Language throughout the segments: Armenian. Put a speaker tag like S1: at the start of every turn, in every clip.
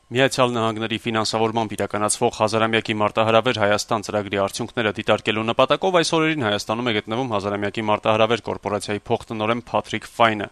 S1: Միացյալ Նահանգների ֆինանսավորմամբ իրականացվող հազարամյակի մարտահրավեր Հայաստան ծրագրի արդյունքները դիտարկելու նպատակով այս օրերին Հայաստանում է գտնվում հազարամյակի մարտահրավեր կորպորացիայի փոխտնօրեն Փաթրիկ Ֆայնը։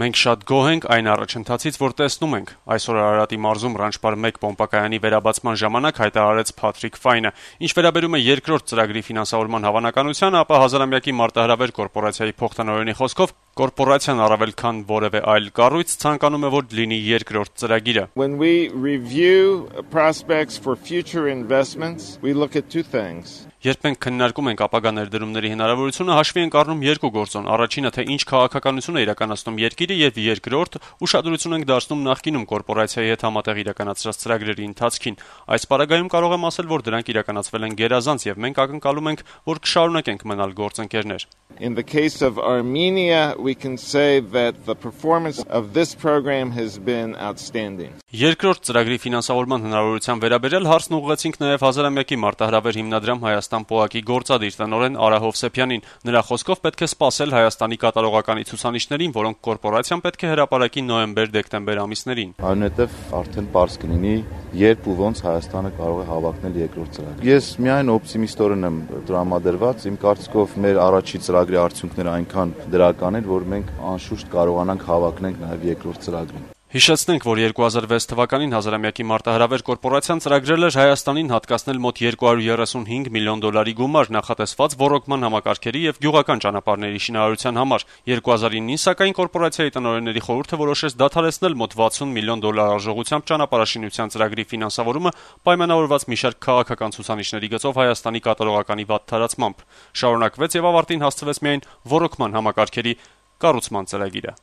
S1: Մենք շատ գոհ ենք այն առաջընթացից, որ տեսնում ենք, այսօր Արարատի մարզում Ռանչպար 1 պոմպակայանի վերաբացման ժամանակ հայտարարեց Փաթրիկ Ֆայնը։ Ինչ վերաբերում է երկրորդ ծրագրի ֆինանսավորման հավանականությանը, ապա հազարամյակի մարտահրավեր կորպորացիայի փոխտնօրենի խոսքով կորպորացիան առավել քան որևէ այլ կառույց ցանկանում է, որ լինի երկրորդ ծրագիրը։
S2: When we review prospects for future investments, we look at two things.
S1: Երբ մենք քննարկում ենք ապագա ներդրումների հնարավորությունը, հաշվի ենք առնում երկու գործոն. առաջինը, թե ինչ քաղաքականություն է իրականացնում երկիրը, եւ երկրորդ, ուշադրություն ենք դարձնում նախկինում կորպորացիայի հետ համատեղ իրականացրած ծրագրերի ընթացքին։ Այս պարագայում կարող եմ ասել, որ դրանք իրականացվել են գերազանց եւ մենք ակնկալում ենք, որ կշարունակենք մնալ գործընկերներ։
S2: In the case of Armenia, we can say that the performance of this program has been outstanding.
S1: Երկրորդ ծրագրի ֆինանսավորման հնարավորության վերաբերյալ հարցն ուղղեցինք նաև հազարամյակի մարտահրավեր հիմնադրամ Հայաստան ՊՕԱԿ-ի գործադիր տնօրեն Արա Հովսեփյանին։ Նրա խոսքով պետք է սպասել Հայաստանի կատարողականի ցուցանիշներին, որոնք կորպորացիան պետք է հրապարակի նոյեմբեր-դեկտեմբեր ամիսներին։
S3: Այնուհետև արդեն պարզ կլինի, երբ ու ոնց Հայաստանը կարող է հավակնել երկրորդ ծրագիր։ Ես միայն օպտիմիստորեն եմ տրամադրված, իմ կարծիքով մեր առաջի ծրագրի արդյունքները այնքան դրական են, որ մենք անշուշտ կարողանանք հավակնենք նաև երկրորդ ծրագրին։
S1: Հիշեցնենք, որ 2006 թվականին հազարամյակի մարտահրավեր կորպորացիան ծրագրել էր Հայաստանին հատկացնել մոտ $235 միլիոն գումար նախատեսված ոռոգման համակարգերի եւ գյուղական ճանապարհների շինարարության համար։ 2009-ին սակայն կորպորացիայի տնօրենների խորհուրդը որոշեց դադարեցնել մոտ $60 միլիոն արժողությամբ ճանապարհաշինության ծրագրի ֆինանսավորումը պայմանավորված մի շարք քաղաքական ցուցանիշների գծով Հայաստանի կատարողականի վատթարացմամբ։ Շարունակվեց եւ ավարտին հասցվեց միայն ոռոգման համակարգերի կառուցման ծրագիրը։